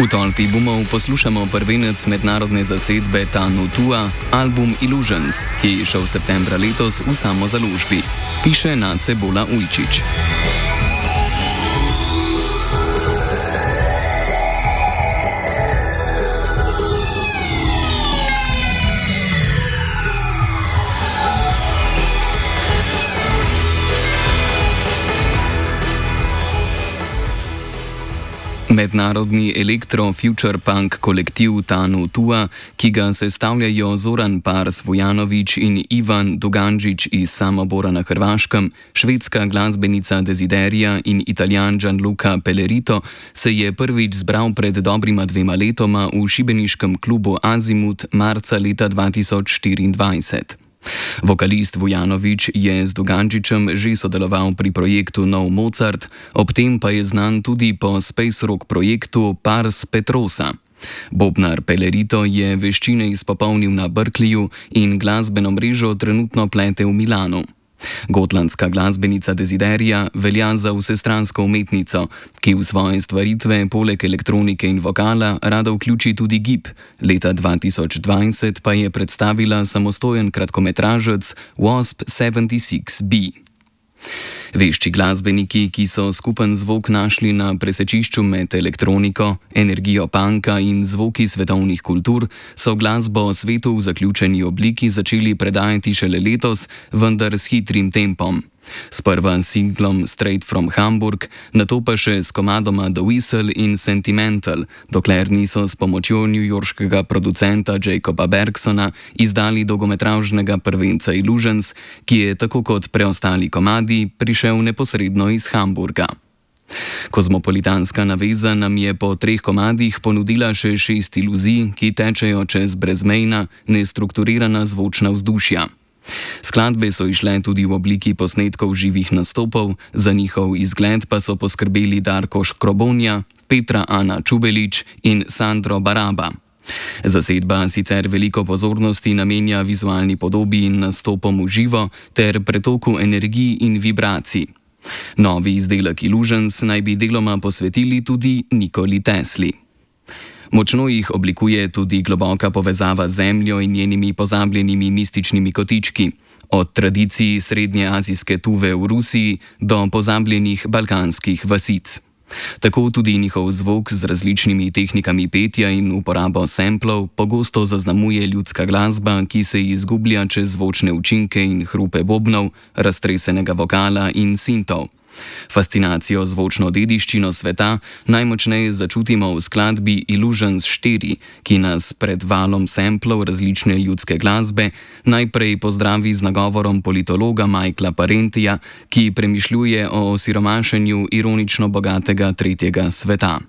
V tolpi bumov poslušamo prvenec mednarodne zasedbe Tanu Tua, album Illusions, ki je izšel septembra letos v samozaložbi, piše Nace Bola Ujčič. Mednarodni elektro-future punk kolektiv Tanu Tua, ki ga sestavljajo Zoran Pars Vujanović in Ivan Dugančić iz Samobora na Hrvaškem, švedska glasbenica Desiderija in Italijan Gianluca Pellerito, se je prvič zbral pred dobrima 2 letoma v šibeniškem klubu Azimut marca leta 2024. Vokalist Vujanović je z Dugančićem že sodeloval pri projektu Nov Mozart, ob tem pa je znan tudi po space rock projektu Pars Petrosa. Bobnar Pellerito je veščine izpopolnil na Berkeleyju in glasbeno mrežo trenutno plete v Milanu. Gotlandska glasbenica Desiderija velja za vsestransko umetnico, ki v svoje stvaritve poleg elektronike in vokala rada vključi tudi gib. Leta 2020 pa je predstavila samostojen kratkometražec Wasp 76B. Vešči glasbeniki, ki so skupen zvok našli na presečišču med elektroniko, energijo punka in zvoki svetovnih kultur, so glasbo o svetu v zaključeni obliki začeli predajati šele letos, vendar s hitrim tempom. Sprva s singlom Straight from Hamburg, nato pa še s komadoma The Whistle in Sentimental, dokler niso s pomočjo newyorškega producenta Jacoba Bergsona izdali dolgometražnega prvenca Illusions, ki je tako kot preostali komadi prišel neposredno iz Hamburga. Kozmopolitanska naveza nam je po 3 komadih ponudila še 6 iluzij, ki tečejo čez brezmejna, nestrukturirana zvočna vzdušja. Skladbe so išle tudi v obliki posnetkov živih nastopov, za njihov izgled pa so poskrbeli Darko Škrobonja, Petra Ana Čubelić in Sandro Baraba. Zasedba sicer veliko pozornosti namenja vizualni podobi in nastopom v živo ter pretoku energij in vibracij. Novi izdelek Illusions naj bi deloma posvetili tudi Nikoli Tesli. Močno jih oblikuje tudi globoka povezava z Zemljo in njenimi pozabljenimi mističnimi kotički, od tradicij srednjeazijske Tuve v Rusiji do pozabljenih balkanskih vasic. Tako tudi njihov zvok z različnimi tehnikami petja in uporabo samplov pogosto zaznamuje ljudska glasba, ki se izgublja čez zvočne učinke in hrupe bobnov, raztresenega vokala in sintov. Fascinacijo zvočno dediščino sveta najmočneje začutimo v skladbi Illusions 4, ki nas pred valom samplov različne ljudske glasbe najprej pozdravi z nagovorom politologa Michaela Parentija, ki premišljuje o osiromašenju ironično bogatega tretjega sveta.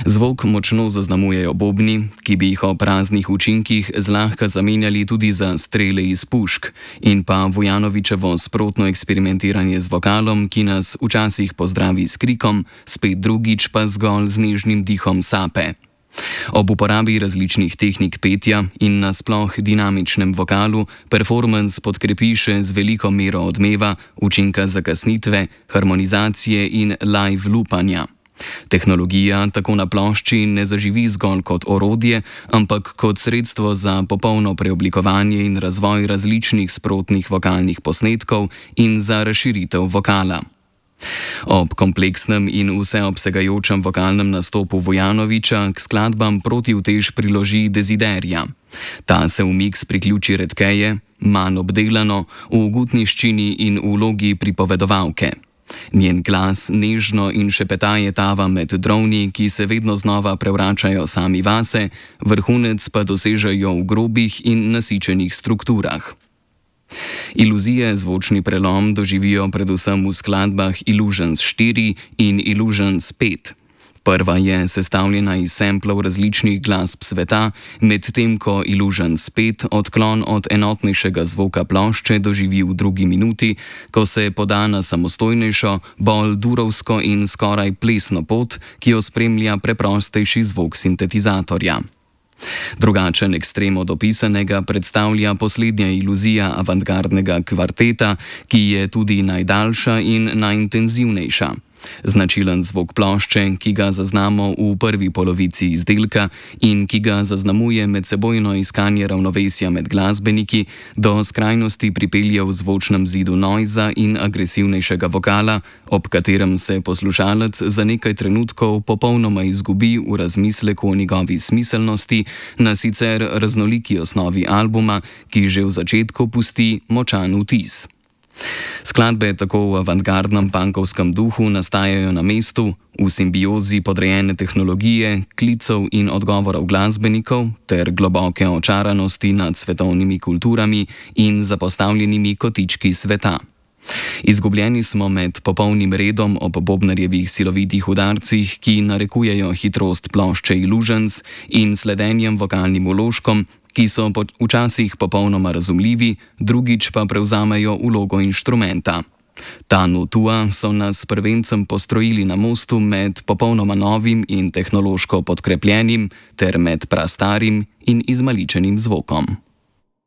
Zvok močno zaznamujejo bobni, ki bi jih ob raznih učinkih zlahka zamenjali tudi za strele iz pušk, in pa Vujanovićevo sprotno eksperimentiranje z vokalom, ki nas včasih pozdravi s krikom, spet drugič pa zgolj z nežnim dihom sape. Ob uporabi različnih tehnik petja in nasploh dinamičnem vokalu performance podkrepi še z veliko mero odmeva, učinka zakasnitve, harmonizacije in live loopanja. Tehnologija tako na plošči ne zaživi zgolj kot orodje, ampak kot sredstvo za popolno preoblikovanje in razvoj različnih sprotnih vokalnih posnetkov in za razširitev vokala. Ob kompleksnem in vseobsegajočem vokalnem nastopu Vujanovića k skladbam protivtež priloži Desiderija. Ta se v miks priključi redkeje, manj obdelano, v gutniščini in v vlogi pripovedovalke. Njen glas nežno in šepetaje tava med drovni, ki se vedno znova prevračajo sami vase, vrhunec pa dosežejo v grobih in nasičenih strukturah. Iluzije zvočni prelom doživijo predvsem v skladbah Illusions 4 in Illusions 5. Prva je sestavljena iz samplov različnih glasb sveta, medtem ko Illusions 5 odklon od enotnejšega zvoka plošče doživi v 2. minuti, ko se poda na samostojnejšo, bolj durovsko in skoraj plesno pot, ki jo spremlja preprostejši zvok sintetizatorja. Drugačen ekstrem od opisanega predstavlja poslednja iluzija avantgardnega kvarteta, ki je tudi najdaljša in najintenzivnejša. Značilen zvok plošče, ki ga zaznamo v prvi polovici izdelka in ki ga zaznamuje medsebojno iskanje ravnovesja med glasbeniki, do skrajnosti pripelje v zvočnem zidu noiza in agresivnejšega vokala, ob katerem se poslušalec za nekaj trenutkov popolnoma izgubi v razmisleku o njegovi smiselnosti na sicer raznoliki osnovi albuma, ki že v začetku pusti močan vtis. Skladbe tako v avantgardnem punkovskem duhu nastajajo na mestu, v simbiozi podrejene tehnologije, klicev in odgovorov glasbenikov ter globoke očaranosti nad svetovnimi kulturami in zapostavljenimi kotički sveta. Izgubljeni smo med popolnim redom ob bobnarjevih silovitih udarcih, ki narekujejo hitrost plošče Illusions, in sledenjem vokalnim vložkom, ki so včasih popolnoma razumljivi, drugič pa prevzamejo vlogo inštrumenta. Tanu Tua so nas s prvencem postrojili na mostu med popolnoma novim in tehnološko podkrepljenim ter med prastarim in izmaličenim zvokom.